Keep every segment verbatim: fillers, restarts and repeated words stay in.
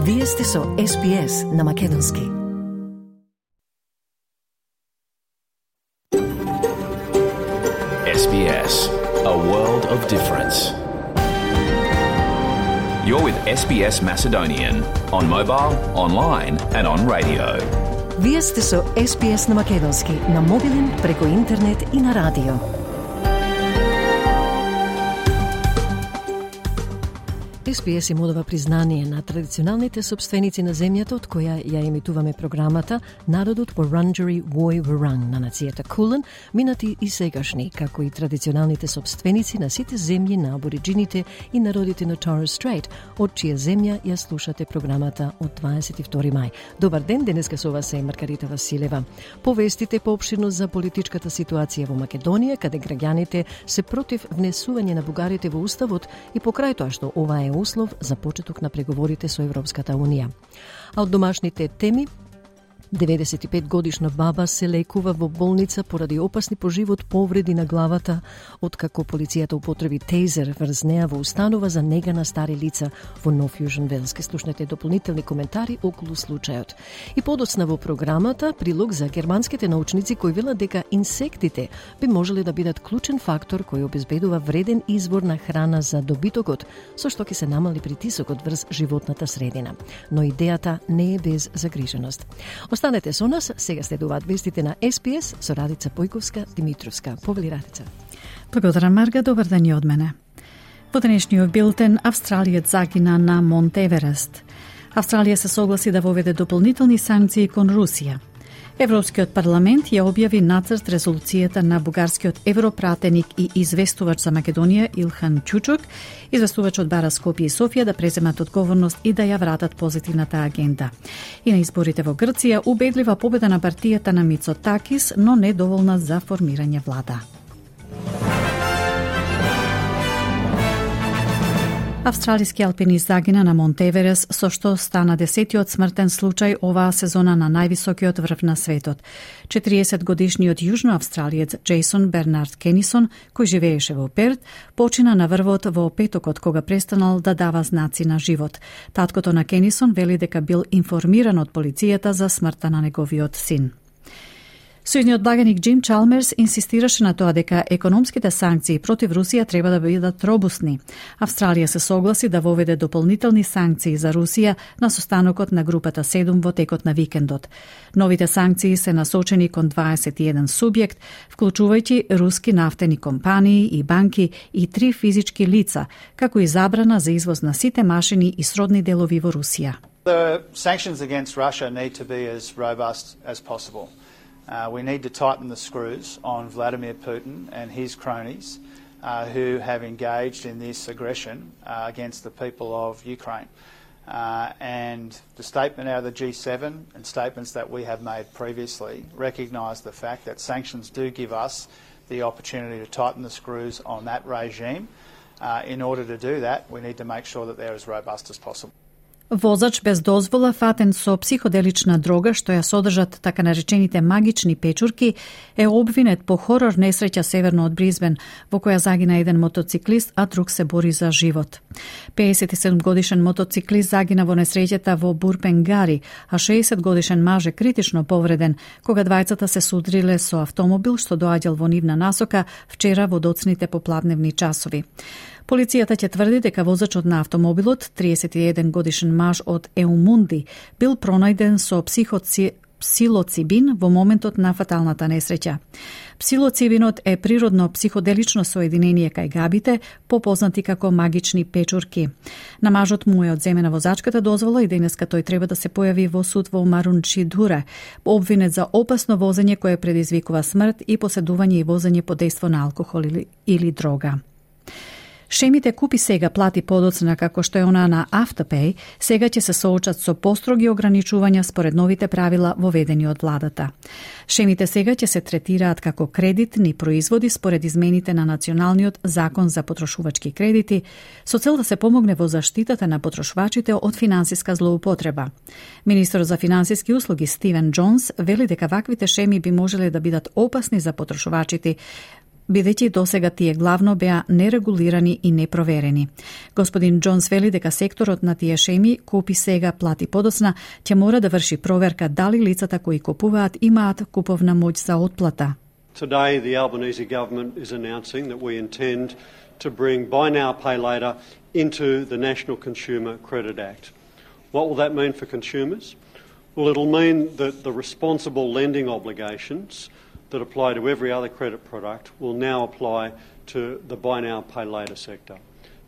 Вие сте со Ес Би Ес на Македонски. Ес Би Ес, a world of difference. You're with Ес Би Ес Macedonian on mobile, online and on radio. Вие сте со Ес Би Ес на Македонски, на мобилен, преку интернет и на радио. Ес Би Ес им одава признание на традиционалните собственици на земјата од која ја емитуваме програмата, народот Вуранџери Вој Вуранг на нацијата Кулен, минати и сегашни, како и традиционалните собственици на сите земји на абориджините и народите на Торес Стрейт, од чија земја ја слушате програмата од дваесет и втори мај. Добар ден, денеска со вас е Маргарита Василева. Повестите поопширно за политичката ситуација во Македонија, каде граѓаните се против внесување на бугарите во уставот и покрај тоа што ова е услов за почеток на преговорите со Европската Унија. А од домашните теми, деветдесет и пет годишна баба се лекува во болница поради опасни по живот повреди на главата, откако полицијата употреби тейзер врз неа во установа за нега на стари лица во Нов Јужен Велс. Ке слушнете дополнителни коментари околу случајот. И подоцна во програмата прилог за германските научници кои велат дека инсектите би можеле да бидат клучен фактор кој обезбедува вреден извор на храна за добитокот, со што ќе се намали притисокот врз животната средина. Но идејата не е без загриженост. Останете со нас, сега следуваат вестите на Ес Би Ес со Радица Појковска-Димитровска. Повели Радица. Благодарам, Марга, добар ден и од мене. Во денешниот билтен, Австралијец загина на Монт Еверест. Австралија се согласи да воведе дополнителни санкции кон Русија. Европскиот парламент ја објави нацрт резолуцијата на бугарскиот европратеник и известувач за Македонија Илхан Чучук. Известувачот бара Скопје и Софија да преземат одговорност и да ја вратат позитивната агенда. И на изборите во Грција убедлива победа на партијата на Мицотакис, но недоволна за формирање влада. Австралиски алпинист загина на Монт Еверест, со што стана десетиот смртен случај оваа сезона на највисокиот врв на светот. четириесет годишниот јужноавстралиец Джейсон Бернард Кенисон, кој живееше во Перт, почина на врвот во петокот кога престанал да дава знаци на живот. Таткото на Кенисон вели дека бил информиран од полицијата за смртта на неговиот син. Сојузниот благаник Џим Чалмерс инсистираше на тоа дека економските санкции против Русија треба да бидат робусни. Австралија се согласи да воведе дополнителни санкции за Русија на состанокот на групата седум во текот на викендот. Новите санкции се насочени кон дваесет и еден субјект, вклучувајќи руски нафтени компании и банки и три физички лица, како и забрана за извоз на сите машини и сродни делови во Русија. The sanctions against Russia need to be as robust as possible. Uh, we need to tighten the screws on Vladimir Putin and his cronies uh, who have engaged in this aggression uh, against the people of Ukraine. Uh, and the statement out of the G seven and statements that we have made previously recognise the fact that sanctions do give us the opportunity to tighten the screws on that regime. Uh, in order to do that, we need to make sure that they're as robust as possible. Возач без дозвола фатен со психоделична дрога што ја содржат така наречените магични печурки е обвинет по хорор несреќа северно од Бризбен, во која загина еден мотоциклист, а друг се бори за живот. пеесет и седум годишен мотоциклист загина во несреќата во Бурпенгари, а шеесет годишен маж е критично повреден кога двајцата се судриле со автомобил што доаѓал во нивна насока вчера во доцните попладневни часови. Полицијата ќе тврди дека возачот на автомобилот, триесет и еден годишен маж од Еумунди, бил пронајден со психоци... псилоцибин во моментот на фаталната несреќа. Псилоцибинот е природно психоделично соединение кај габите, попознати како магични печурки. На мажот му е одземена возачката дозвола и денеска тој треба да се појави во суд во Марунчидуре, обвинет за опасно возење кое предизвикува смрт и поседување и возење под дејство на алкохол или, или дрога. Шемите Купи сега плати подоцна како што е она на Afterpay, сега ќе се соочат со построги ограничувања според новите правила воведени од владата. Шемите сега ќе се третираат како кредитни производи според измените на Националниот закон за потрошувачки кредити, со цел да се помогне во заштитата на потрошувачите од финансиска злоупотреба. Министерот за финансиски услуги Стивен Џонс вели дека ваквите шеми би можеле да бидат опасни за потрошувачите, бидејќи досега тие главно беа нерегулирани и непроверени. Господин Џонс вели дека секторот на тие шеми купи сега, плати подоцна, ќе мора да врши проверка дали лицата кои купуваат имаат куповна моќ за отплата. Today, the Albanese government is announcing that we intend to bring Buy Now, Pay Later into the National Consumer Credit Act. What will that mean for consumers? Well, it'll mean that the responsible lending obligations that apply to every other credit product will now apply to the Buy Now, Pay Later sector.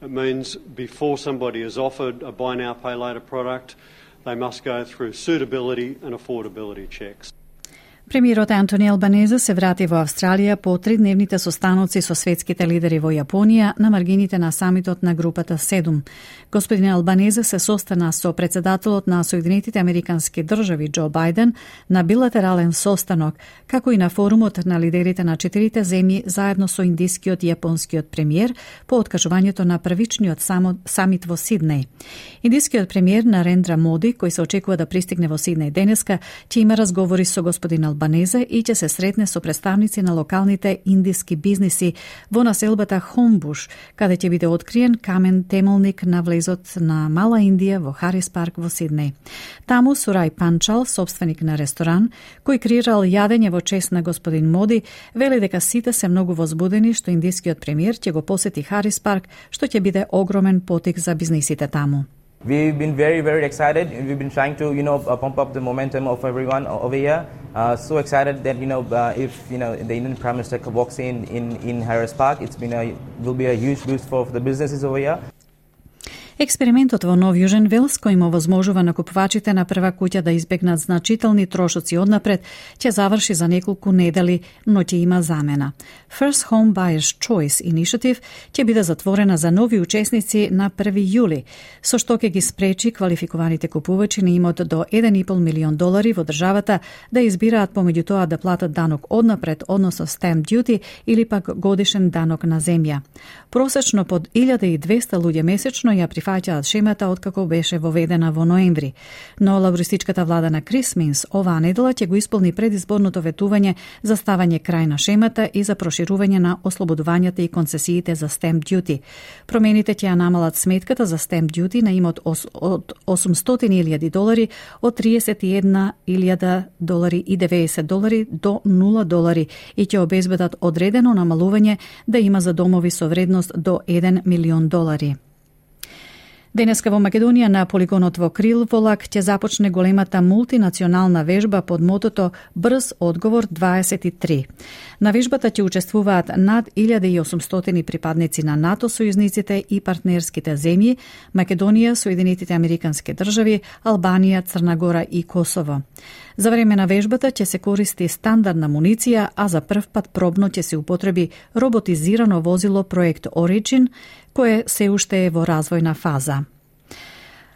It means before somebody is offered a Buy Now, Pay Later product, they must go through suitability and affordability checks. Премиерот Антони Албанезе се врати во Австралија по тридневните состаноци со светските лидери во Јапонија на маргините на самитот на групата седум. Господин Албанезе се состана со председателот на Соединетите Американски држави Џо Бајден на билатерален состанок, како и на форумот на лидерите на четирите земји заедно со индискиот и јапонскиот премиер по откажувањето на првичниот самит во Сиднеј. Индискиот премиер Нарендра Моди, кој се очекува да пристигне во Сиднеј денеска, ќе има разговори со господин Албанезе и ќе се сретне со представници на локалните индиски бизниси во населбата Хомбуш, каде ќе биде откриен камен темелник на влезот на Мала Индија во Харис парк во Сиднеј. Таму Сурај Панчал, собственик на ресторан, кој креирал јадење во чест на господин Моди, вели дека сите се многу возбудени што индискиот премиер ќе го посети Харис парк, што ќе биде огромен потик за бизнисите таму. We've been very, very excited. We've been trying to, you know, uh, pump up the momentum of everyone over here. Uh, so excited that, you know, uh, if, you know, the Indian Prime Minister walks in, in, in Harris Park, it's been a, will be a huge boost for, for the businesses over here. Експериментот во Нов Јужен Велс, кој му возможува на купувачите на прва куќа да избегнат значителни трошоци однапред, ќе заврши за неколку недели, но ќе има замена. First Home Buyers Choice Initiative ќе биде затворена за нови учесници на први јули, со што ќе ги спречи квалификуваните купувачи на имот до еден и пол милион долари во државата да избираат помеѓу тоа да платат данок однапред, односно stamp duty или пак годишен данок на земја. Просечно под илјада и двесте луѓе месечно ја прифаќаат шемата откако беше воведена во ноември. Но лабористичката влада на Крис Минс оваа недела ќе го исполни предизборното ветување за ставање крај на шемата и за проширување на ослободувањата и концесиите за stamp duty. Промените ќе ја намалат сметката за stamp duty на имот од осумстотини илјади долари од триесет и една илјада долари и деветдесет долари до нула долари и ќе обезбедат одредено намалување да има за домови со вредност до еден милион долари. Денеска во Македонија на полигонот во Крилволак ќе започне големата мултинационална вежба под мотото Брз одговор дваесет и три. На вежбата ќе учествуваат над илјада и осумстотини припадници на НАТО сојузниците и партнерските земји Македонија, Соединетите Американски држави, Албанија, Црна Гора и Косово. За време на вежбата ќе се користи стандардна муниција, а за прв пат пробно ќе се употреби роботизирано возило проект Origin, кое се уште е во развојна фаза.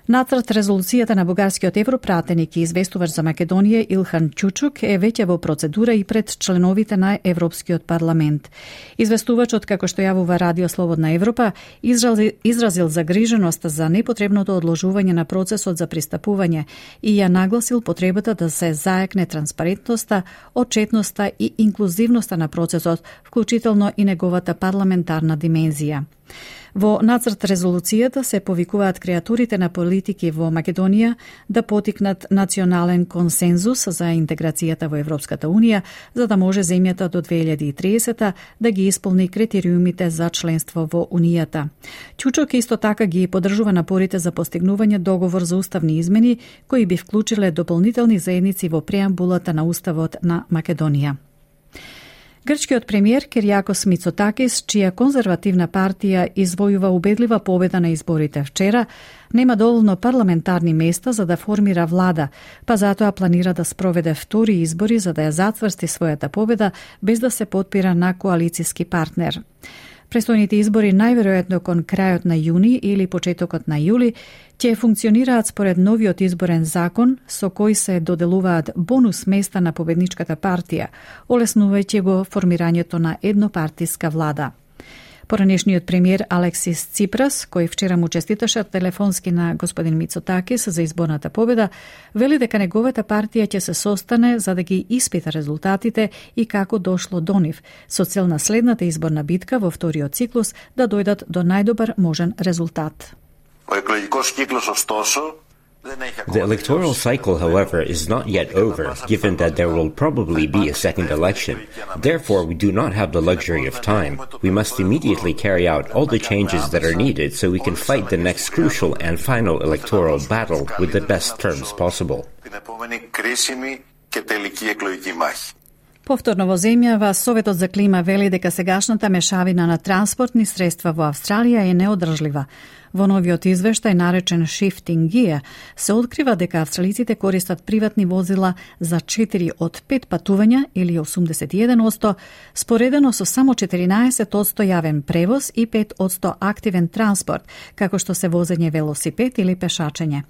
Нацрт резолуцијата на бугарскиот европратеник и известувач за Македонија Илхан Чучук е веќе во процедура и пред членовите на Европскиот парламент. Известувачот, како што јавува Радио Слободна Европа, изразил, изразил загриженост за непотребното одложување на процесот за пристапување и ја нагласил потребата да се заекне транспарентноста, отчетноста и инклузивноста на процесот, вклучително и неговата парламентарна димензија. Во нацрт резолуцијата се повикуваат креатурите на политики во Македонија да потикнат национален консензус за интеграцијата во Европската Унија, за да може земјата до две илјади и триесета да ги исполни критериумите за членство во Унијата. Чучок исто така ги поддржува напорите за постигнување договор за уставни измени, кои би вклучиле дополнителни заедници во преамбулата на Уставот на Македонија. Грчкиот премиер Киријакос Мицотакис, чија конзервативна партија извојува убедлива победа на изборите вчера, нема доволно парламентарни места за да формира влада, па затоа планира да спроведе втори избори за да ја затврсти својата победа без да се потпира на коалициски партнер. Престојните избори најверојатно кон крајот на јуни или почетокот на јули ќе функционираат според новиот изборен закон со кој се доделуваат бонус места на победничката партија, олеснувајќи го формирањето на еднопартиска влада. Поранешниот премиер Алексис Ципрас, кој вчера му честиташе телефонски на господин Мицотакис за изборната победа, вели дека неговата партија ќе се состане за да ги испита резултатите и како дошло до нив, со цел на следната изборна битка во вториот циклус да дојдат до најдобар можен резултат. The electoral cycle, however, is not yet over, given that there will probably be a second election. Therefore, we do not have the luxury of time. We must immediately carry out all the changes that are needed so we can fight the next crucial and final electoral battle with the best terms possible. Повторно во земјава, Советот за клима вели дека сегашната мешавина на транспортни средства во Австралија е неодржлива. Во новиот извештај, наречен Shifting Gear, се открива дека австралиците користат приватни возила за четири од пет патувања или осумдесет и еден одсто, споредено со само четиринаесет одсто јавен превоз и пет одсто активен транспорт, како што се возење велосипед или пешачење.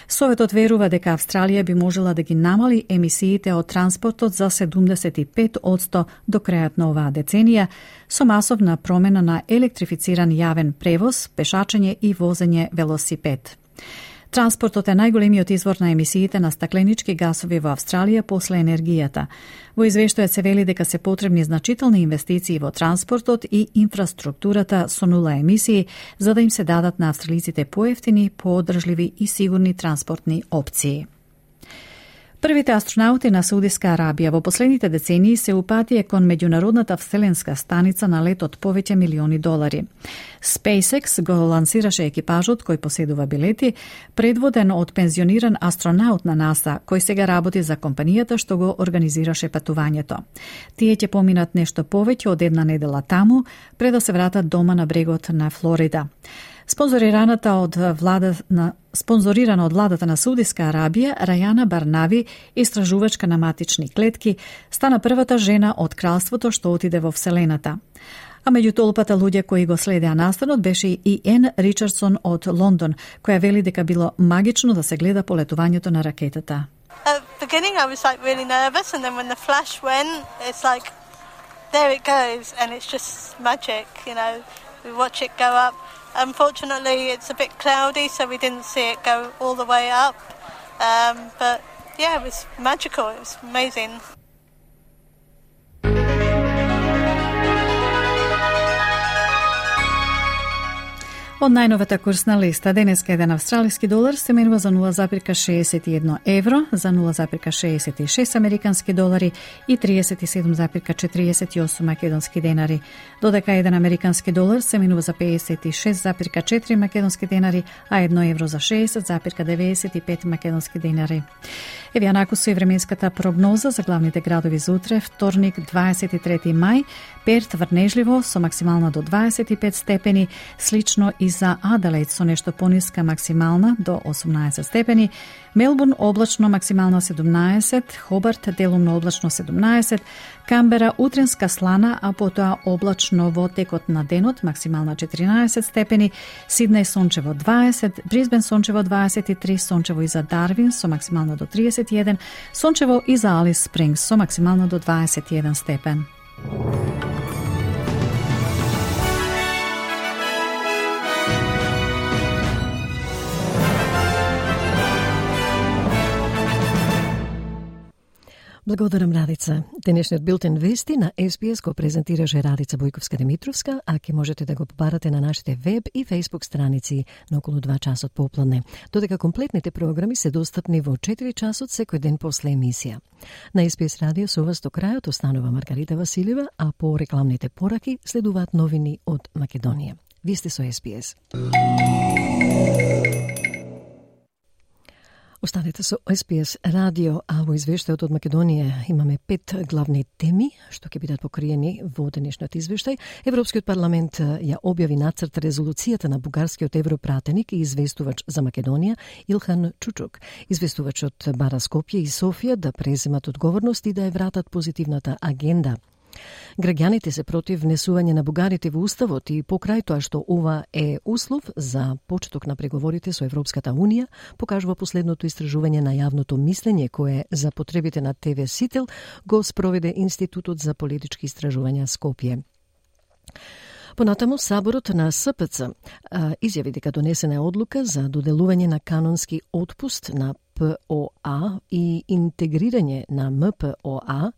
Советот верува дека Австралија би можела да ги намали емисиите од транспортот за седумдесет и пет одсто до крајот на оваа деценија, со масовна промена на електрифициран јавен превоз, пешачење и возење велосипед. Транспортот е најголемиот извор на емисиите на стакленички гасови во Австралија после енергијата. Во извештајот се вели дека се потребни значителни инвестиции во транспортот и инфраструктурата со нула емисии, за да им се дадат на австралиците поевтини, поодржливи и сигурни транспортни опции. Првите астронаути на Саудиска Арабија во последните децении се упатија кон меѓународната вселенска станица на лет од повеќе милиони долари. SpaceX го лансираше екипажот кој поседува билети, предводен од пензиониран астронаут на НАСА, кој сега работи за компанијата што го организираше патувањето. Тие ќе поминат нешто повеќе од една недела таму, пред да се вратат дома на брегот на Флорида. Спонзорираната од влада на спонзорирана од владата на Саудиска Арабија, Рајана Барнави, истражувачка на матични клетки, стана првата жена од кралството што отиде во вселената. А меѓу толпата луѓе кои го следеа настанот беше и Ен Ричардсон од Лондон, која вели дека било магично да се гледа полетувањето на ракетата. At the beginning I was like really nervous, and then when the flash went, it's like there it goes, and it's just magic, you know. We watch it go up. Unfortunately, it's a bit cloudy, so we didn't see it go all the way up. Um, but yeah, it was magical. It was amazing. Од најновата курсна листа, денеска еден австралиски долар се менува за нула запирка шеесет и едно евро, за нула запирка шеесет и шест американски долари и триесет и седум запирка четириесет и осум македонски денари. Додека еден американски долар се менува за пеесет и шест запирка четири македонски денари, а едно евро за шеесет запирка деветдесет и пет македонски денари. Еве анаку со временската прогноза за главните градови за утре, вторник дваесет и трети мај, Перт врнежливо со максимална до дваесет и пет степени, слично и за Аделаид со нешто пониска максимална до осумнаесет степени, Мелбурн облачно максимална седумнаесет, Хобарт делумно облачно седумнаесет, Камбера утренска слана, а потоа облачно во текот на денот максимална четиринаесет степени, Сиднеј сончево дваесет, Брисбен сончево дваесет и три, сончево и за Дарвин со максимална до тридесет и еден, сончево и за Алис Спрингс со максимална до дваесет и еден степен. Благодарам, Радица. Денешниот билтен вести на Ес Би Ес го презентираше Радица Бојковска-Димитровска, а ке можете да го побарате на нашите веб и фейсбук страници на околу два часот попладне. Додека комплетните програми се достапни во четири часот секој ден после емисија. На Ес Би Ес радио со вас до крајот останува Маргарита Василева, а по рекламните пораки следуваат новини од Македонија. Ви сте со Ес Би Ес. Останете со Ес Би Ес радио, а во извештајот од Македонија имаме пет главни теми што ќе бидат покриени во денешниот извештај. Европскиот парламент ја објави нацрт резолуцијата на бугарскиот европратеник и известувач за Македонија Илхан Чучук. Известувачот бара Скопје и Софија да преземат одговорност и да ја вратат позитивната агенда. Граѓаните се против внесување на бугарите во уставот и покрај тоа што ова е услов за почеток на преговорите со Европската Унија, покажува последното истражување на јавното мислење кое за потребите на Те Ви Сител го спроведе Институтот за политички истражувања Скопје. Понатаму, Саборот на СПЦ изјави дека донесена е одлука за доделување на канонски отпуст на П О А и интегрирање на М П О А.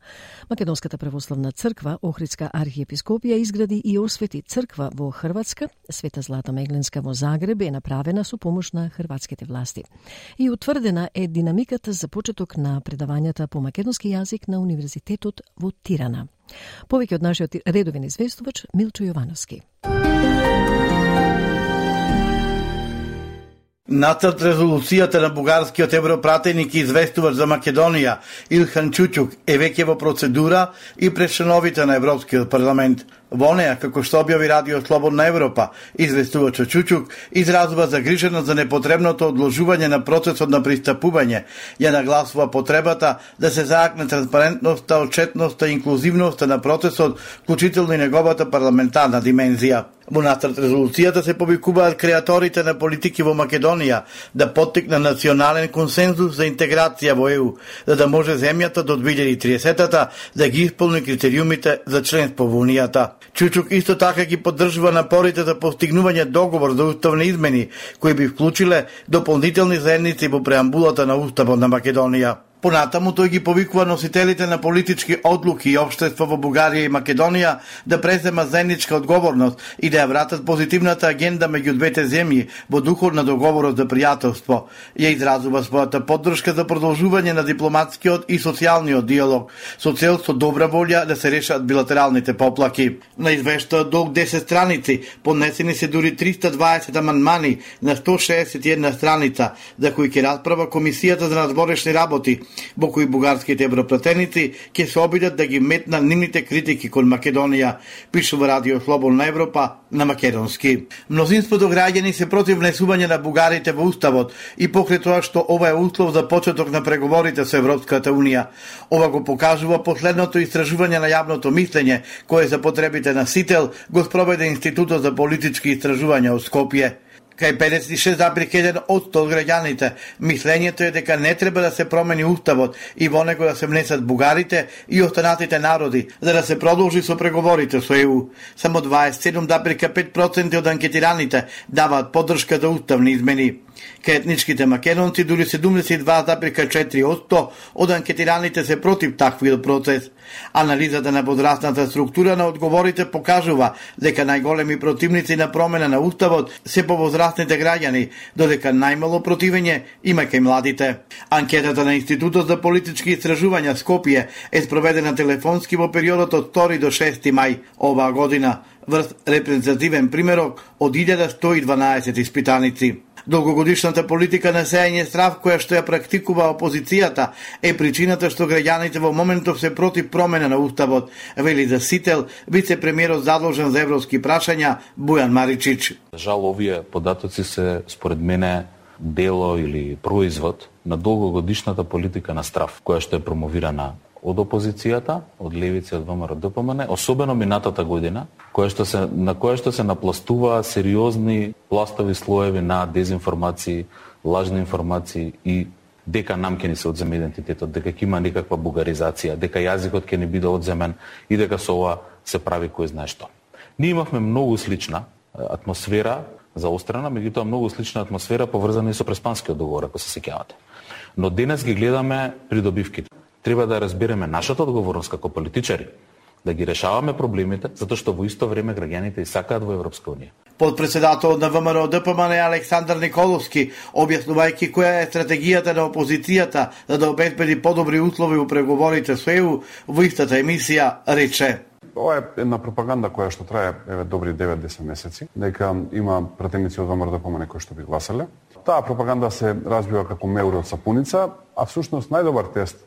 Македонската православна црква, Охридска архиепископија, изгради и освети црква во Хрватска. Света Злата Мегленска во Загреб е направена со помош на хрватските власти. И утврдена е динамиката за почеток на предавањата по македонски јазик на Универзитетот во Тирана. Повеќе од нашиот редовен известувач Милчо Јовановски. Нацрт резолуцијата на бугарскиот европратеник и известувач за Македонија Илхан Чучук е веќе во процедура и пред членовите на Европскиот парламент. Во неа, како што објави Радио Слободна Европа, известувачот Чучук изразува загриженост за непотребното одложување на процесот на пристапување, ја нагласува потребата да се заакне транспарентноста, отчетноста и инклузивноста на процесот, вклучително и неговата парламентарна димензија. Во нацрт резолуцијата се повикуваат креаторите на политики во Македонија да поттикнат национален консензус за интеграција во Е У, за да може земјата до две илјади и тридесета да ги исполни критериумите за членство во Унијата. Чучук исто така ги поддржува напорите за постигнување договор за уставни измени, кои би вклучиле дополнителни заедници во преамбулата на Уставот на Македонија. Понатаму тој ги повикува носителите на политички одлуки и општество во Бугарија и Македонија да преземат заедничка одговорност и да ја вратат позитивната агенда меѓу двете земји во духот на договорот за пријателство. Ја изразува својата поддршка за продолжување на дипломатскиот и социјалниот диалог, со цел со добра волја да се решат билатералните поплаки. На извештајот долг десет страници, поднесени се дури триста дваесет амандмани на сто шеесет и една страница, за кои ќе расправа Комисијата за надворешни работи, во кои бугарските европратеници ќе се обидат да ги метнат нивните критики кон Македонија, пишува Радио Слободна Европа на македонски. Мнозинството граѓани се против внесување на бугарите во Уставот и покрај тоа што ова е услов за почеток на преговорите со Европската Унија. Ова го покажува последното истражување на јавното мислење, кое за потребите на Сител го спроведе Институтот за политички истражувања од Скопје. Кај педесет и шест зарез еден одсто од граѓаните, мислењето е дека не треба да се промени Уставот и во него да се внесат бугарите и останатите народи, за да се продолжи со преговорите со Е У. Само дваесет и седум зарез пет проценти од анкетираните даваат поддршка за уставни измени. Кај етничките македонци дури седумдесет и два зарез четири одсто од анкетираните се против таквиот процес. Анализата на возрастната структура на одговорите покажува дека најголеми противници на промена на Уставот се повозрастните граѓани, додека најмало противење има кај младите. Анкетата на Институтот за политички истражувања Скопје е спроведена телефонски во периодот од втори до шести мај оваа година, врз репрезентативен примерок од илјада сто и дванаесет испитаници. Долгогодишната политика на сејање страв која што ја практикува опозицијата е причината што граѓаните во моментов се против промена на Уставот, вели за Сител вице-премиерот задолжен за европски прашања Бујан Маричич. Жал, овие податоци се според мене дело или производ на долгогодишната политика на страв, која што е промовирана од опозицијата, од левици, од Вэ Ем Р Д П М Н, особено минатата година, која што се, на која што се напластува сериозни пластови слоеви на дезинформации, лажни информации и дека нам ќе ни се одземе идентитетот, дека ќе има некаква бугаризација, дека јазикот ќе ни биде одземен и дека со ова се прави кој знае што. Ние имавме многу слична атмосфера заострена, меѓутоа многу слична атмосфера поврзана и со Преспанскиот договор, ако се сеќавате. Но денес ги гледаме придобивките. Треба да разбереме нашата одговорност како политичари, да ги решаваме проблемите, затоа што во исто време граѓаните и сакаат во Европска Унија. Подпредседателот на Вэ Ем Р Д П М Н Александар Николовски, објаснувајќи која е стратегијата на опозицијата за да обезбеди подобри услови во преговорите со Е У, во истата емисија рече: Ова е една пропаганда која што трае еве добри девет до десет месеци, дека има пратеници од Вэ Ем Р Д П М Н кои што би гласале. Таа пропаганда се разбива како меури од сапуница, а всушност најдобар тест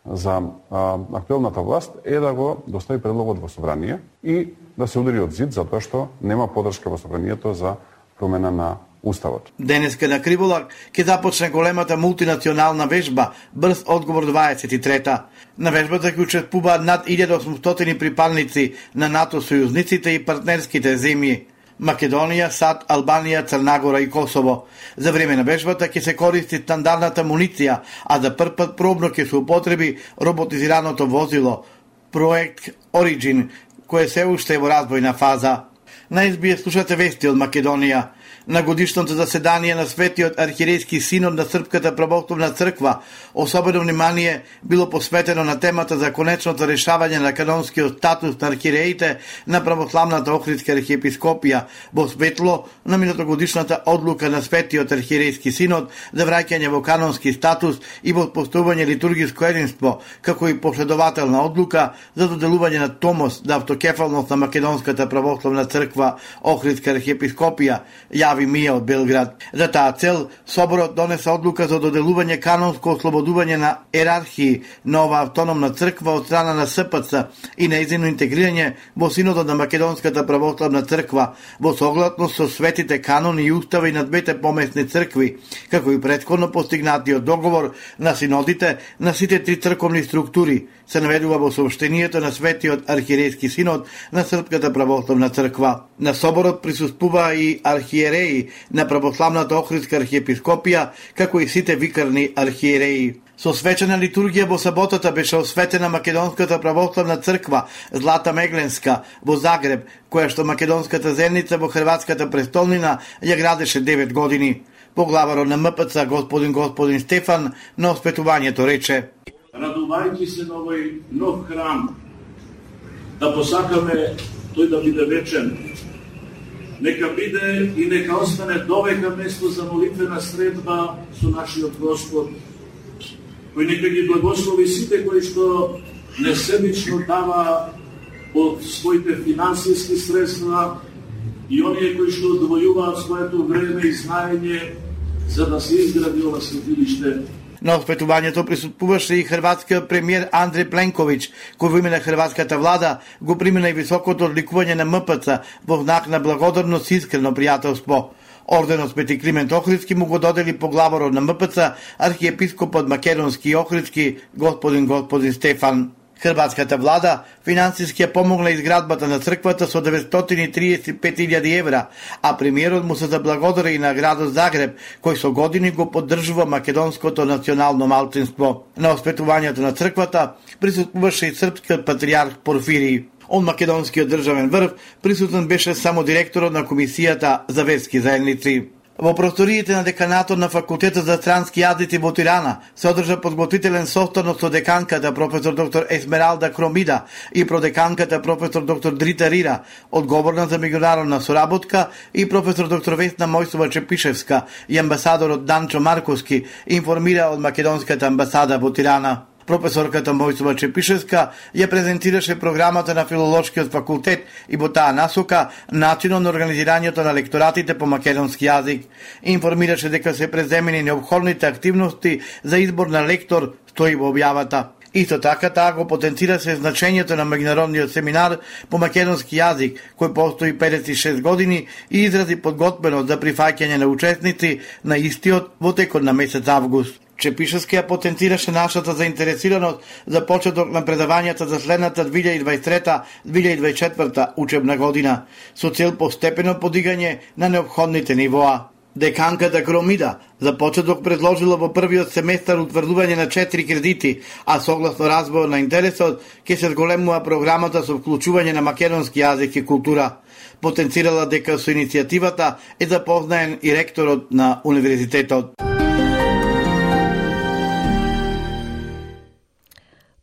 за а, актуелната власт е да го достави предлогот во собрание и да се удари од зид затоа што нема поддршка во собранието за промена на Уставот. Денеска на Криволак ќе започне големата мултинационална вежба Брз одговор дваесет и трета. На вежбата ќе учествуваат над илјада осумстотини припадници на НАТО сојузниците и партнерските земји Македонија, САД, Албанија, Црна Гора и Косово. За време на вежбата ќе се користи стандардната муниција, а за прв пат пробно ќе се употреби роботизираното возило Проект Origin, кое се уште е во разбојна фаза. На Ес Би Ес слушате вести од Македонија. На годишното заседание на Светиот архиерејски синод на Српската православна црква особено внимание било посветено на темата за конечното решавање на канонскиот статус на архиереите на православната Охридска архиепископија во светло на минатогодишната одлука на Светиот архиерејски синод за враќање во канонски статус и во постојување литургиско единство, како и последователна одлука за доделување на томос за автокефалност на Македонската православна црква Охридска архиепископија, јави Мија од Белград. За таа цел, Соборот донесе одлука за доделување канонско ослободување на ерархии на ова автономна црква од страна на С П Ц и нејзино интегрирање во Синодот на Македонската православна црква во согласност со светите канони и устави на двете помесни цркви, како и претходно постигнатиот договор на синодите на сите три црковни структури, се наведува во сообщението на Светиот архиерејски синод на Српската православна црква. На соборот присуствува и архиереи на православната Охридска архиепископија, како и сите викарни архиереи. Со свечена литургија во саботата беше осветена Македонската православна црква Злата Мегленска во Загреб, која што македонската земница во хрватската престолнина ја градеше девет години. Поглаварот на М П Ц господин господин Стефан на осветувањето рече: Радувајќи се на овој нов храм, да посакаме тој да биде вечен. Нека биде и нека остане довека место за молитвена средба со нашиот Господ, кој нека ги благослови сите кои што несебично дава од своите финансиски средства и оние кои што одвојуваат своето време и знаење за да се изгради ова светилиште. На оспетувањето присуствуваше и хрватскиот премиер Андреј Пленковиќ, кој во име на хрватската влада го примена и високото одликување на М П Ц во знак на благодарност и искрено пријателство. Орденот Свети Климент Охридски му го додели поглаварот на М П Ц, архиепископот македонски и охридски господин господин Стефан. Хрватската влада финансиски ја помогна изградбата на црквата со деветстотини и триесет и пет илјади евра, а премиерот му се заблагодари и на градот Загреб, кој со години го поддржува македонското национално малцинство. На осветувањето на црквата присуствуваше и српскиот патријарх Порфирий. Од македонскиот државен врв присутен беше само директорот на Комисијата за верски заедници. Во просториите на деканатот на Факултетот за странски јазици во Тирана се одржа подготвителен состанок со деканката професор доктор Есмералда Кромида и продеканката професор доктор Дрита Рира, одговорна за меѓународна соработка, и професор доктор Весна Мојсова Чепишевска и амбасадорот Данчо Марковски, информира од македонската амбасада во Тирана. Професорката Мојсова Чепишевска ја презентираше програмата на Филолошкиот факултет и во таа насока начинот на организирањето на лекторатите по македонски јазик. Информираше дека се преземени необходните активности за избор на лектор, стои во објавата. Исто така таа го потенцираше значењето на меѓународниот семинар по македонски јазик, кој постои педесет и шест години, и изрази подготвеност за прифаќање на учесници на истиот во текот на месец август. Чепишевски ја потенцираше нашата заинтересираност за почеток на предавањата за следната две илјади и дваесет и трета - две илјади и дваесет и четврта учебна година, со цел постепено подигање на неопходните нивоа. Деканката Кромида за почеток предложила во првиот семестар утврдување на четири кредити, а согласно развојот на интересот ќе се зголемува програмата со вклучување на македонски јазик и култура. Потенцирала дека со иницијативата е запознаен и ректорот на универзитетот.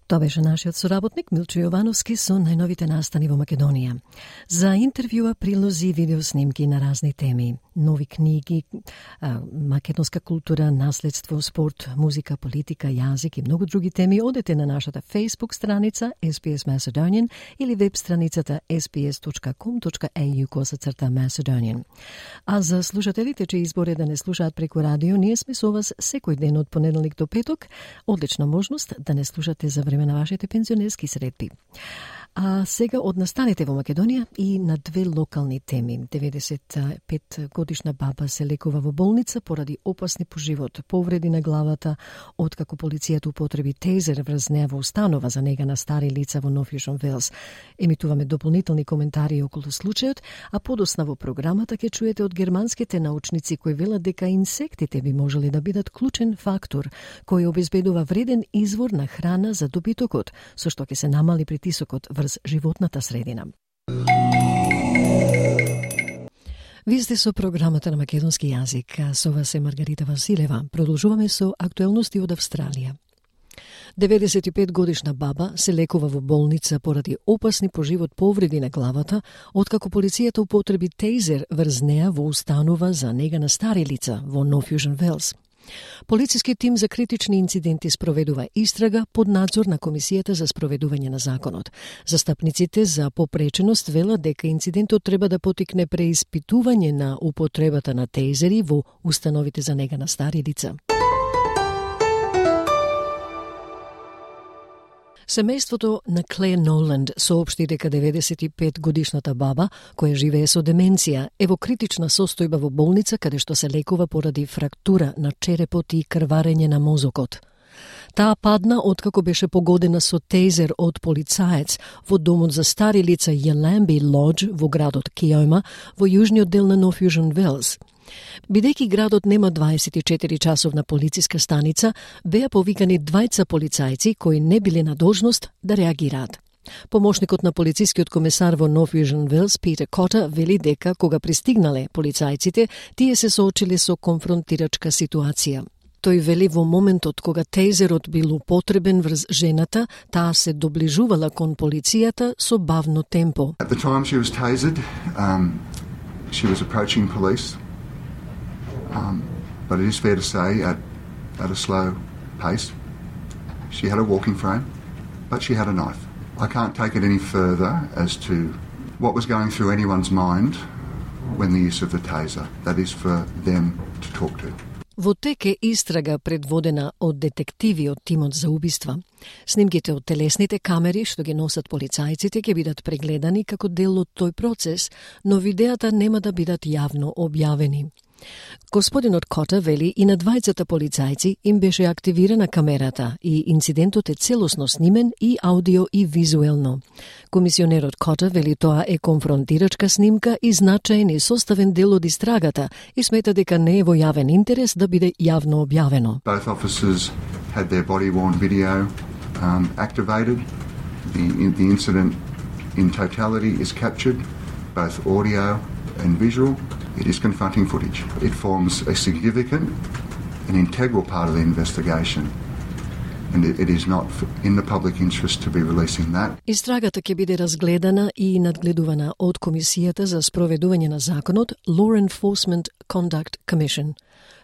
Тоа беше нашиот соработник Милчо Јовановски со најновите настани во Македонија. За интервјуа, прилози и видеоснимки на разни теми, нови книги, македонска култура, наследство, спорт, музика, политика, јазик и многу други теми, одете на нашата Facebook страница Ес Би Ес Macedonian или веб страницата ес би ес точка ком точка ей ю косацрта Macedonian. А за слушателите че изборе да не слушаат преку радио, ние сме со вас секој ден од понеделник до петок. Одлична можност да не слушате за време на вашите пензионерски средби. А сега од настаните во Македонија и на две локални теми. деветдесет и пет годишна баба се лекува во болница поради опасни по живот повреди на главата, откако полицијата употреби тезер врз неа во установа за нега на стари лица во Нов Јужен Велс. Емитуваме дополнителни коментари околу случајот, а подосна во програмата ќе чуете од германските научници кои велат дека инсектите би можели да бидат клучен фактор кој обезбедува вреден извор на храна за добитокот, со што ќе се намали притисокот врз животната средина. Вие сте со програмата на македонски јазик, а со вас е Маргарита Василева. Продолжуваме со актуелности од Австралија. деветдесет и пет годишна баба се лекува во болница поради опасни по живот повреди на главата, откако полицијата употреби тейзер врз неа во установа за нега на стари лица во North Fusion Wells. Полициски тим за критични инциденти спроведува истрага под надзор на Комисијата за спроведување на законот. Застапниците за попреченост велат дека инцидентот треба да потикне преиспитување на употребата на тейзери во установите за нега на стари лица. Семејството на Клеер Ноланд соопшти дека деветдесет и пет годишната баба, која живее со деменција, е во критична состојба во болница каде што се лекува поради фрактура на черепот и крварење на мозокот. Таа падна откако беше погодена со тейзер од полицаец во домот за стари лица Yallambee Lodge во градот Kioma во јужниот дел на North Fusion Wells. Бидејќи градот нема дваесет и четири часовна полициска станица, беа повикани двајца полицајци кои не биле на должност да реагираат. Помошникот на полицискиот комесар во North Fusion Wells, Peter Cotter, вели дека кога пристигнале полицајците, тие се соочиле со конфронтирачка ситуација. Тој вели во моментот кога тейзерот бил употребен врз жената, таа се доближувала кон полицијата со бавно темпо. At the time she was tasered, um, she was approaching police. Um, but it is fair to say at, at a slow pace. She had a walking frame, but she had a knife. I can't take it any further as to what was going through anyone's mind when the use of the taser. That is for them to talk to. Во тек е истрага предводена од детективи од тимот за убиства. Снимките од телесните камери што ги носат полицајците ќе бидат прегледани како дел од тој процес, но видеата нема да бидат јавно објавени. Господинот Кота вели и на двајцата полицајци им беше активирана камерата и инцидентот е целосно снимен и аудио и визуелно. Комисионерот Кота вели тоа е конфронтирачка снимка и значаен и составен дел од истрагата и смета дека не е во јавен интерес да биде јавно објавено. Both officers had their body-worn video um, activated. The, the incident in totality is captured, both audio and visual. It is confronting footage. It forms a significant and integral part of the investigation. And it, it is not in the public interest to be releasing that. Истрагата ќе биде разгледана и надгледувана од Комисијата за спроведување на законот Law Enforcement Conduct Commission.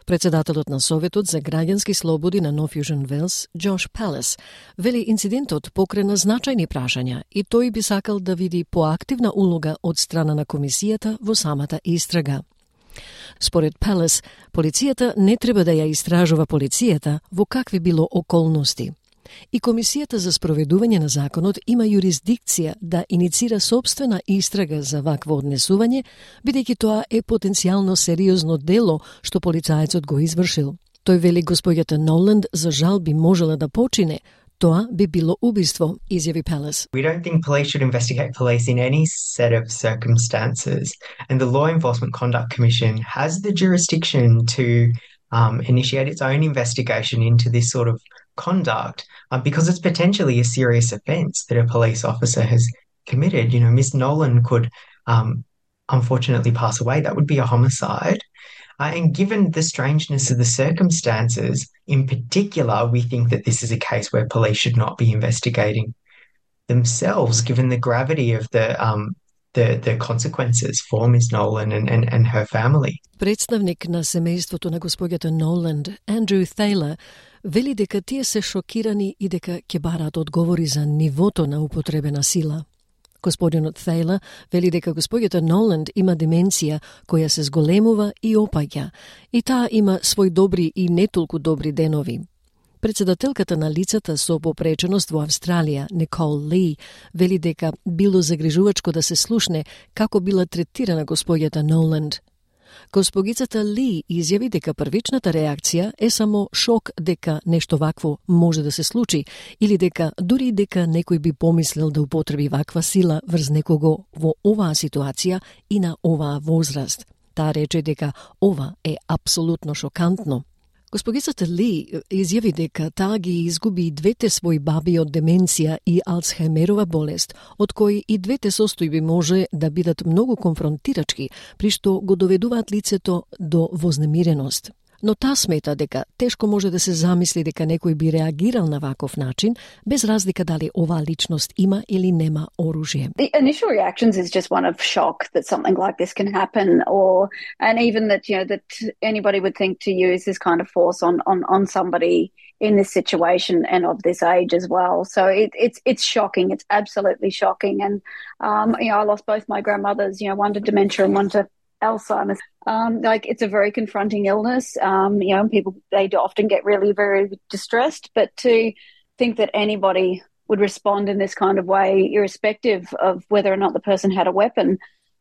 Председателот на Советот за граѓански слободи на North Fusion Wells, Josh Palace, вели инцидентот покрена значајни прашања и тој би сакал да види поактивна улога од страна на комисијата во самата истрага. Според Palace, полицијата не треба да ја истражува полицијата во какви било околности. И Комисијата за спроведување на законот има юрисдикција да иницира собствена истрага за вакво однесување, бидејќи тоа е потенцијално сериозно дело што полицаецот го извршил. Тој вели госпоѓата Ноланд за жал би можела да почине, тоа би било убиство, изјави Palace. We don't think police should investigate police in any set of circumstances, and the Law Enforcement Conduct Commission has the jurisdiction to um, initiate its own investigation into this sort of conduct uh, because it's potentially a serious offence that a police officer has committed. You know, Miss Nolan could um, unfortunately pass away. That would be a homicide. Uh, and given the strangeness of the circumstances, in particular, we think that this is a case where police should not be investigating themselves, given the gravity of the um, the, the consequences for Miss Nolan and, and, and her family. Представник на семејството на госпоѓата Ноланд, Андрю Тhaler, вели дека тие се шокирани и дека ќе бараат одговори за нивото на употребена сила. Господинот Тhaler вели дека госпоѓата Ноланд има деменција која се зголемува и опаѓа, и таа има свој добри и не толку добри денови. Председателката на лицата со попреченост во Австралија, Никол Ли, вели дека било загрижувачко да се слушне како била третирана госпоѓата Ноланд. Госпогицата Ли изјави дека првичната реакција е само шок дека нешто вакво може да се случи или дека дури дека некој би помислил да употреби ваква сила врз некого во оваа ситуација и на оваа возраст. Таа рече дека ова е апсолутно шокантно. Госпогицата Ли изјави дека таа ги изгуби двете своји баби од деменција и Алцхаймерова болест, од кои и двете состојби може да бидат многу конфронтирачки, при што го доведуваат лицето до вознемиреност. Но таа смета дека тешко може да се замисли дека некој би реагирал на ваков начин, без разлика дали оваа личност има или нема оружје. The initial reactions is just one of shock that something like this can happen, or and even that you know that anybody would think to use this kind of force on on on somebody in this situation and of this age as well. So it, it's it's shocking. It's absolutely shocking. And um, you know, I lost both my grandmothers. You know, one to dementia and one to Alzheimer's. Um, like it's a very confronting illness. Um, you know, people they often get really very distressed. But to think that anybody would respond in this kind of way, irrespective of whether or not the person had a weapon,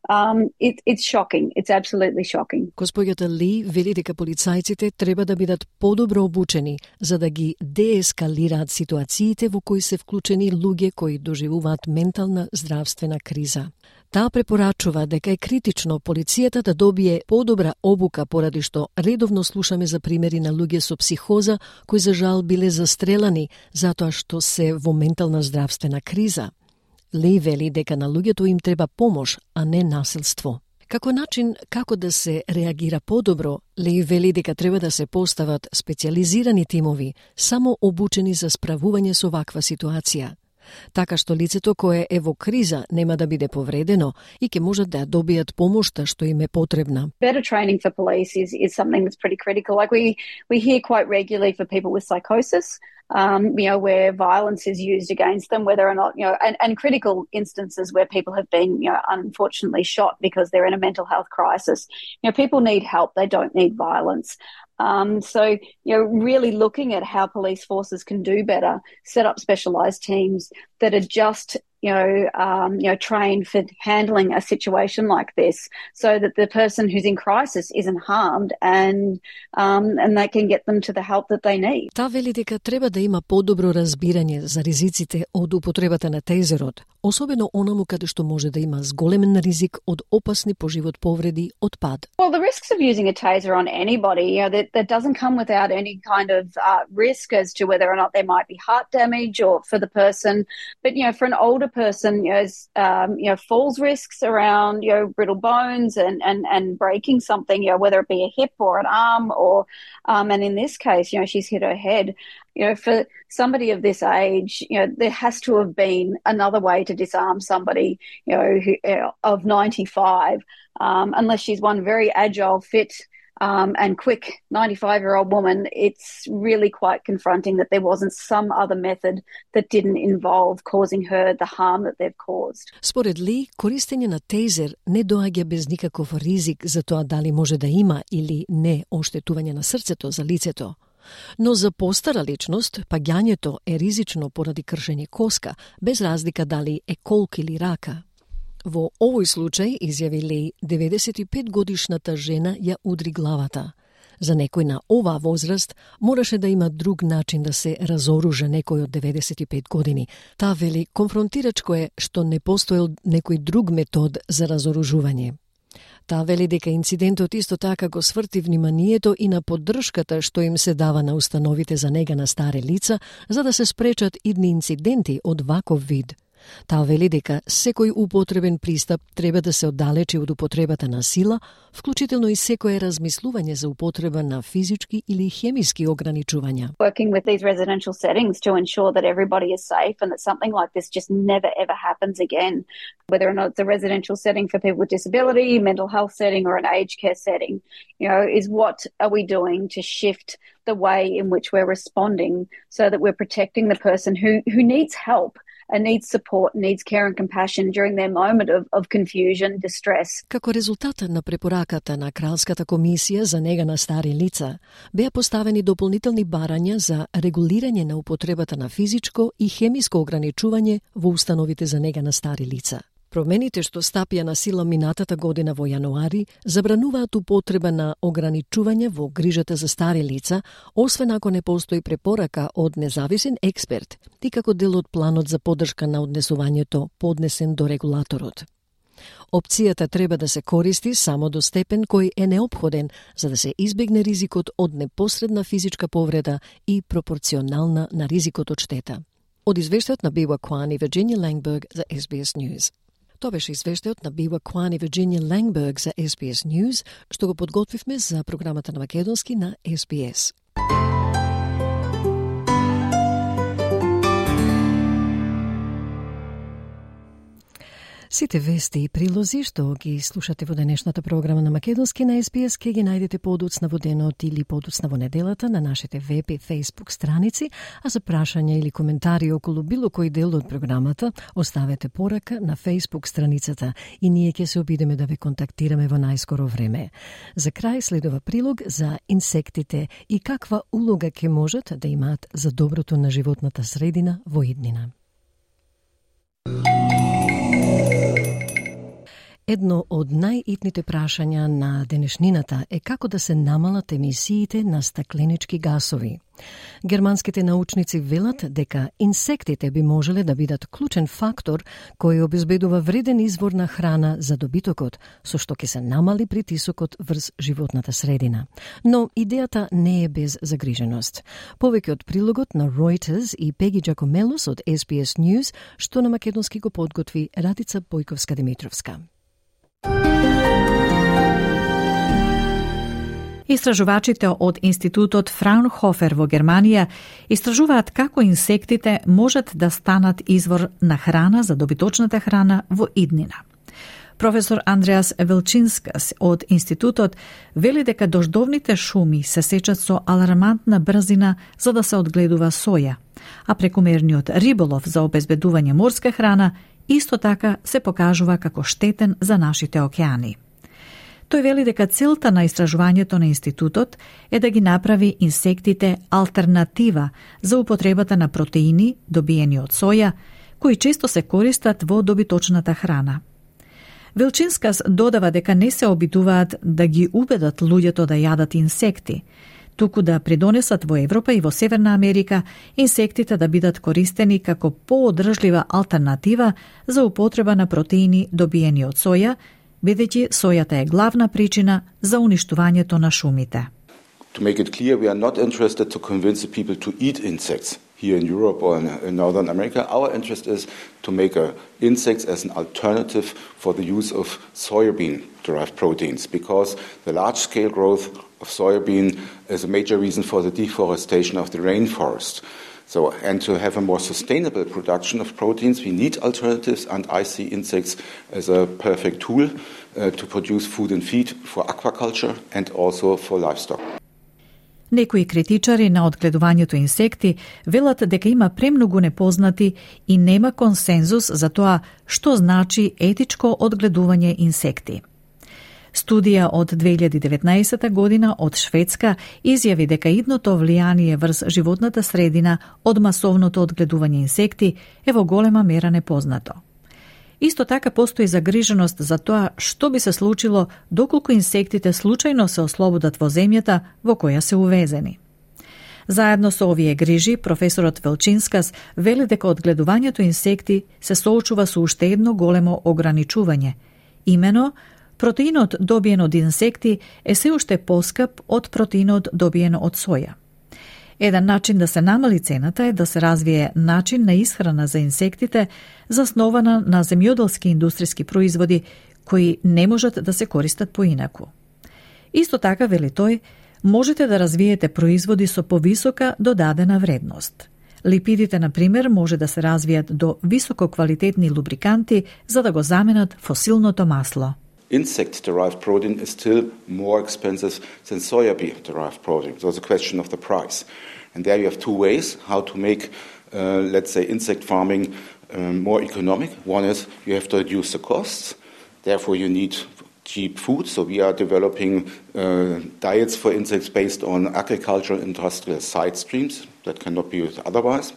um, it, it's shocking. It's absolutely shocking. Госпоѓата Ли вели дека полицајците треба да бидат подобро обучени за да ги деескалираат ситуациите во кои се вклучени луѓе кои доживуваат ментална здравствена криза. Таа препорачува дека е критично полицијата да добие подобра обука поради што редовно слушаме за примери на луѓе со психоза кои за жал биле застрелани затоа што се во ментална здравствена криза. Ли вели дека на луѓето им треба помош, а не насилство. Како начин како да се реагира подобро, Ли вели дека треба да се постават специјализирани тимови, само обучени за справување со ваква ситуација, така што лицето кое е во криза нема да биде повредено и ќе можат да добијат помошта што им е потребна. Better training for police is is something that's pretty critical. Like we we hear quite regularly for people with psychosis, um, you know, where violence is used against them, whether or not, you know, and, and critical instances where people have been, you know, unfortunately shot because they're in a mental health crisis. You know, people need help. They don't need violence. Um, so, you know, really looking at how police forces can do better, set up specialised teams that are just, you know, um, you know, trained for handling a situation like this, so that the person who's in crisis isn't harmed and um, and they can get them to the help that they need. Таа вели дека треба да има подобро разбирање за ризиците од употребата на тейзерот, особено онаму каде што може да има зголемен ризик од опасни по живот повреди од пад. Well, the risks of using a taser on anybody, you know, that, that doesn't come without any kind of uh, risk as to whether or not there might be heart damage or for the person. But, you know, for an older person, you know, um, you know, falls risks around, you know, brittle bones and, and, and breaking something, you know, whether it be a hip or an arm or, um, and in this case, you know, she's hit her head. You know, for somebody of this age, you know, there has to have been another way to disarm somebody, you know, who, uh, of ninety-five, um, unless she's one very agile, fit, Um, and quick ninety-five-year-old woman. It's really quite confronting that there wasn't some other method that didn't involve causing her the harm that they've caused. Според Ли, користење на тейзер не доаѓа без никаков ризик за тоа дали може да има или не оштетување на срцето за лицето. Но за постара личност, паѓањето е ризично поради кршење коска, без разлика дали е колк или рака. Во овој случај, изјави Ли, деветдесет и пет годишната жена ја удри главата. За некој на оваа возраст мораше да има друг начин да се разоружа некој од деветдесет и пет години. Таа вели, конфронтирачко е што не постоел некој друг метод за разоружување. Таа вели дека инцидентот исто така го сврти вниманието и на поддршката што им се дава на установите за нега на стари лица, за да се спречат идни инциденти од ваков вид. Таа вели дека секој употребен пристап треба да се оддалечи од употребата на сила, вклучително и секое размислување за употреба на физички или хемиски ограничувања. Working with these residential settings to ensure that everybody is safe and that something like this just never ever happens again, whether or not it's a residential setting for people with disability, mental health setting or an aged care setting, you know, is what are we doing to shift the way in which we're responding so that we're protecting the person who who needs help and needs support, needs care and compassion during their moment of, of confusion, distress. Како резултат на препораката на Кралската комисија за нега на стари лица, беа поставени дополнителни барања за регулирање на употребата на физичко и хемиско ограничување во установите за нега на стари лица. Промените што стапија на сила минатата година во јануари забрануваат употреба на ограничување во грижата за стари лица, освен ако не постои препорака од независен експерт и како дел од планот за поддршка на однесувањето поднесен до регулаторот. Опцијата треба да се користи само до степен кој е неопходен за да се избегне ризикот од непосредна физичка повреда и пропорционална на ризикот од штета. Од извештајот на Бива Кван и Вирджинија Лангберг за Ес Би Ес News. Тоа беше извештајот на Бива Кван и Вирджинија Лангберг за Ес Би Ес News, што го подготвивме за програмата на македонски на Ес Би Ес. Сите вести и прилози што ги слушате во денешната програма на македонски на Ес Би Ес ке ги најдете подоцна во денот или подоцна во неделата на нашите веб и фейсбук страници, а за прашања или коментари околу било кој дел од програмата оставете порака на фейсбук страницата и ние ќе се обидеме да ве контактираме во најскоро време. За крај следува прилог за инсектите и каква улога ќе можат да имаат за доброто на животната средина во иднина. Едно од најитните прашања на денешнината е како да се намалат емисиите на стакленички гасови. Германските научници велат дека инсектите би можеле да бидат клучен фактор кој обезбедува вреден извор на храна за добитокот, со што ќе се намали притисокот врз животната средина. Но идејата не е без загриженост. Повеќе од прилогот на Reuters и Пеги Джакомелос од Ес Би Ес News, што на македонски го подготви Радица Бојковска-Димитровска. Истражувачите од Институтот Фраунхофер во Германија истражуваат како инсектите можат да станат извор на храна за добиточната храна во иднина. Професор Андреас Велчинскас од Институтот вели дека дождовните шуми се сечат со алармантна брзина за да се одгледува соја, а прекомерниот риболов за обезбедување морска храна исто така се покажува како штетен за нашите океани. Тој вели дека целта на истражувањето на институтот е да ги направи инсектите алтернатива за употребата на протеини добиени од соја, кои често се користат во добиточната храна. Велчинскас додава дека не се обидуваат да ги убедат луѓето да јадат инсекти, туку да придонесат во Европа и во Северна Америка инсектите да бидат користени како поодржлива алтернатива за употреба на протеини добиени од соја, бидејќи сојата е главна причина за уништувањето на шумите. To make it clear, we are not interested to convince the people to eat insects here in Europe or in Northern America. Our interest is to make uh, insects as an alternative for the use of soybean-derived proteins, because the large-scale growth of soybean is a major reason for the deforestation of the rainforest. So, and to have a more sustainable production of proteins, we need alternatives, and I see insects as a perfect tool uh, to produce food and feed for aquaculture and also for livestock. Некои критичари на одгледувањето инсекти велат дека има премногу непознати и нема консензус за тоа што значи етичко одгледување инсекти. Студија од две илјади и деветнаесета година од Шведска изјави дека идното влијание врз животната средина од масовното одгледување инсекти е во голема мера непознато. Исто така постои загриженост за тоа што би се случило доколку инсектите случајно се ослободат во земјата во која се увезени. Заедно со овие грижи, професорот Велчинскас вели дека одгледувањето инсекти се соочува со уште едно големо ограничување, имено протеинот добиен од инсекти е се уште поскап од протеинот добиен од соја. Еден начин да се намали цената е да се развие начин на исхрана за инсектите заснована на земјоделски индустријски производи кои не можат да се користат поинаку. Исто така, вели тој, можете да развиете производи со повисока додадена вредност. Липидите, на пример, може да се развијат до висококвалитетни лубриканти за да го заменат фосилното масло. Insect-derived protein is still more expensive than soya-derived protein. So it's a question of the price. And there you have two ways how to make, uh, let's say, insect farming um, more economic. One is you have to reduce the costs. Therefore, you need cheap food. So we are developing uh, diets for insects based on agricultural industrial side streams. That cannot be used otherwise.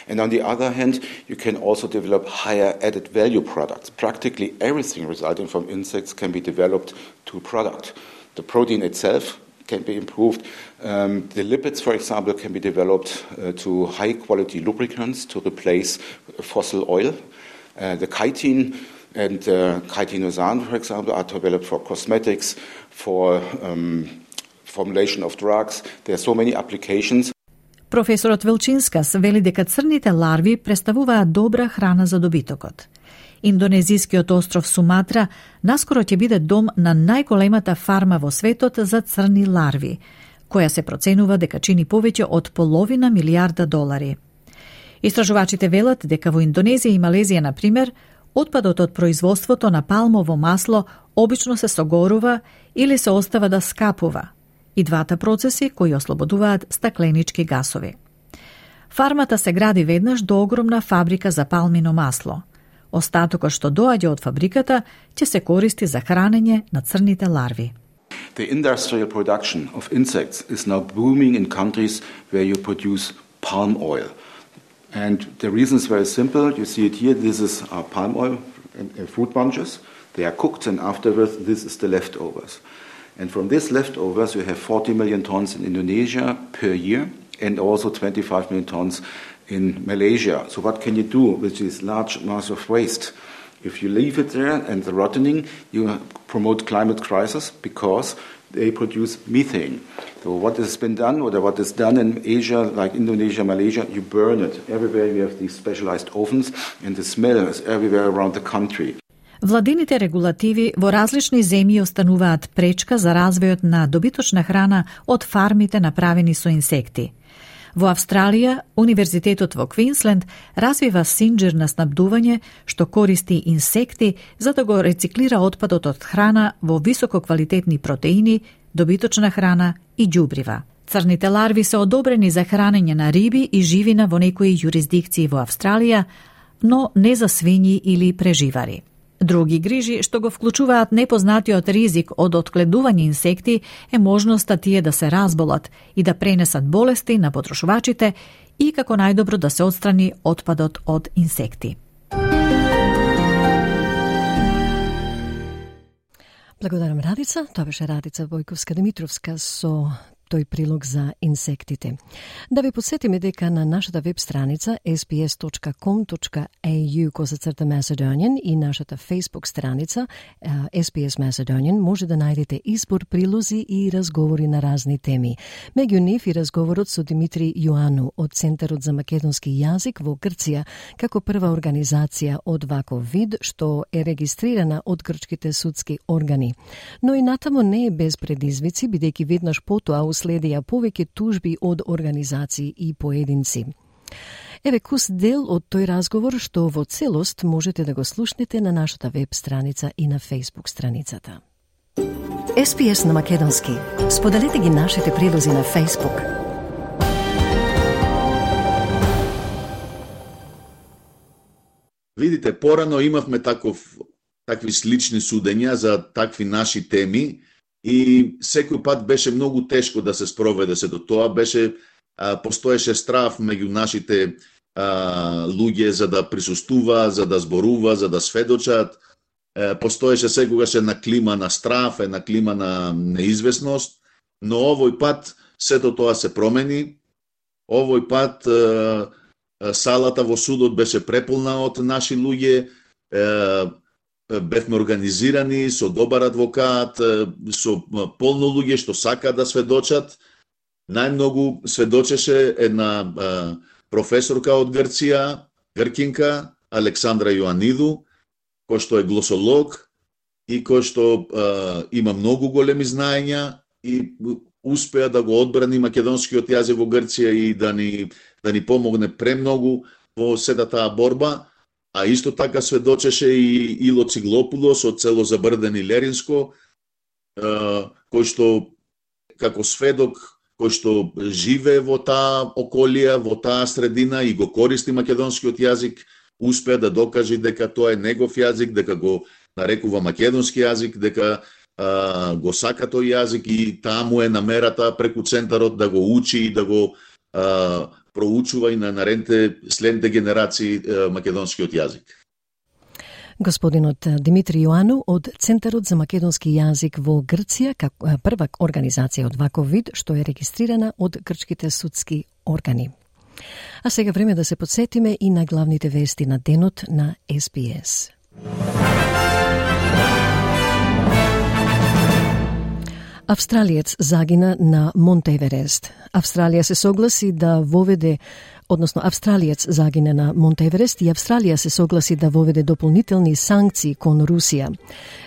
And on the other hand, you can also develop higher added value products. Practically everything resulting from insects can be developed to a product. The protein itself can be improved. Um, the lipids, for example, can be developed uh, to high quality lubricants to replace fossil oil. Uh, the chitin And uh, chitinosan, for example, are developed for cosmetics, for um, formulation of drugs. There are so many applications. Професорот Велчинскас вели дека црните ларви представуваат добра храна за добитокот. Индонезискиот остров Суматра наскоро ќе биде дом на најголемата фарма во светот за црни ларви, која се проценува дека чини повеќе од половина милијарда долари. Истражувачите велат дека во Индонезија и Малезија, на пример, отпадот од производството на палмово масло обично се согорува или се остава да скапува, и двата процеси кои ослободуваат стакленички гасови. Фармата се гради веднаш до огромна фабрика за палмино масло. Остатокот што доаѓа од фабриката ќе се користи за хранење на црните ларви. The industrial production of insects is now booming in countries where you produce palm oil. And the reason is very simple. You see it here. This is our palm oil and fruit bunches. They are cooked, and afterwards this is the leftovers. And from these leftovers you have forty million tons in Indonesia per year and also twenty-five million tons in Malaysia. So what can you do with this large mass of waste? If you leave it there and the rotting, you promote climate crisis because they produce methane. So what has been done, or what is done in Asia, like Indonesia, Malaysia, you burn it. Everywhere you have these specialized ovens, and the smell is everywhere around the country. Владините регулативи во различни земји остануваат пречка за развојот на добиточна храна од фармите направени со инсекти. Во Австралија, Универзитетот во Квинсленд развива синџир на снабдување што користи инсекти за да го рециклира отпадот од храна во висококвалитетни протеини, добиточна храна и ѓубрива. Црните ларви се одобрени за хранење на риби и живина во некои јурисдикции во Австралија, но не за свињи или преживари. Други грижи што го вклучуваат непознатиот ризик од отгледување инсекти е можноста тие да се разболат и да пренесат болести на потрошувачите и како најдобро да се отстрани отпадот од инсекти. Благодарам, Радица. Тоа беше Радица Војковска-Димитровска со тој прилог за инсектите. Да ви подсетиме дека на нашата веб страница ес би ес точка ком точка ей ю косацрта Macedonian и нашата Facebook страница ес би ес Macedonian може да најдете избор прилози и разговори на разни теми. Меѓу нив и разговорот со Димитри Јоану од Центарот за македонски јазик во Грција како прва организација од ваков вид што е регистрирана од грчките судски органи. Но и натаму не е без предизвици, бидејќи веднаш потоа следија повеќе тужби од организации и поединци. Еве кус дел од тој разговор што во целост можете да го слушнете на нашата веб страница и на Facebook страницата. ес би ес на македонски. Споделете ги нашите прилози на Facebook. Видите, порано имавме таков, такви слични судења за такви наши теми, и секој пат беше многу тешко да се спроведе се до тоа. Беше, а, постоеше страф меѓу нашите а, луѓе за да присуствува, за да зборува, за да сведочат. Е, постоеше секогаш една клима на страф, една клима на неизвестност, но овој пат сето тоа се промени. Овој пат а, салата во судот беше преполна од наши луѓе, е, бевме организирани со добар адвокат, со полно луѓе што сакаат да сведочат. Најмногу сведочеше една а, професорка од Грција, гркинка, Александра Јоаниду, кој што е глосолог и кој што а, има многу големи знаења и успеа да го одбрани македонскиот јазик во Грција и да ни, да ни помогне премногу во сета таа борба. А исто така сведочеше и Ило Циглопулос од село Забрдени Леринско, кој што како сведок, кој што живее во таа околија, во таа средина и го користи македонскиот јазик, успеа да докаже дека тоа е негов јазик, дека го нарекува македонски јазик, дека а, го сака тој јазик и таа му е намерата преку центарот да го учи и да го а, проучува и на наредните следните генерации е, македонскиот јазик. Господинот Димитри Јоану од Центарот за македонски јазик во Грција, како прва организација од ваков вид што е регистрирана од грчките судски органи. А сега време да се подсетиме и на главните вести на денот на ес би ес. Австралиец загина на Монте Еверест. Австралија се согласи да воведе односно Австралиец загина на Монте Еверест и Австралија се согласи да воведе дополнителни санкции кон Русија.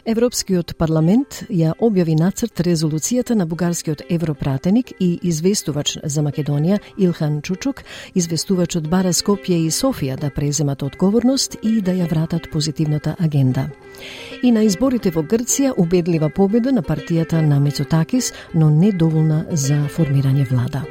Европскиот парламент ја објави нацрт резолуцијата на бугарскиот европратеник и известувач за Македонија Илхан Чучук. Известувачот бара Скопје и Софија да преземат одговорност и да ја вратат позитивната агенда. И на изборите во Грција убедлива победа на партијата на Мицотакис, но не доволна за формирање влада.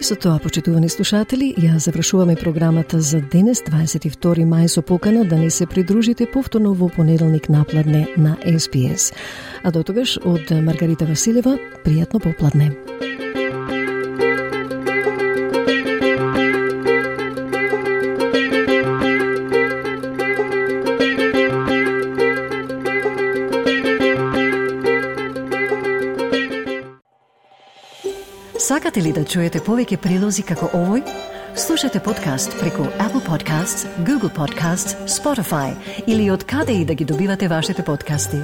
И со тоа, почитувани слушатели, ја завршуваме програмата за денес, дваесет и втори мај, со покана да не се придружите повторно во понеделник напладне на Ес Би Ес. А до тогаш, од Маргарита Василева, пријатно попладне. Сакате ли да чуете повеќе прилози како овој? Слушате подкаст преку Apple Podcasts, Google Podcasts, Spotify или од каде и да ги добивате вашите подкасти.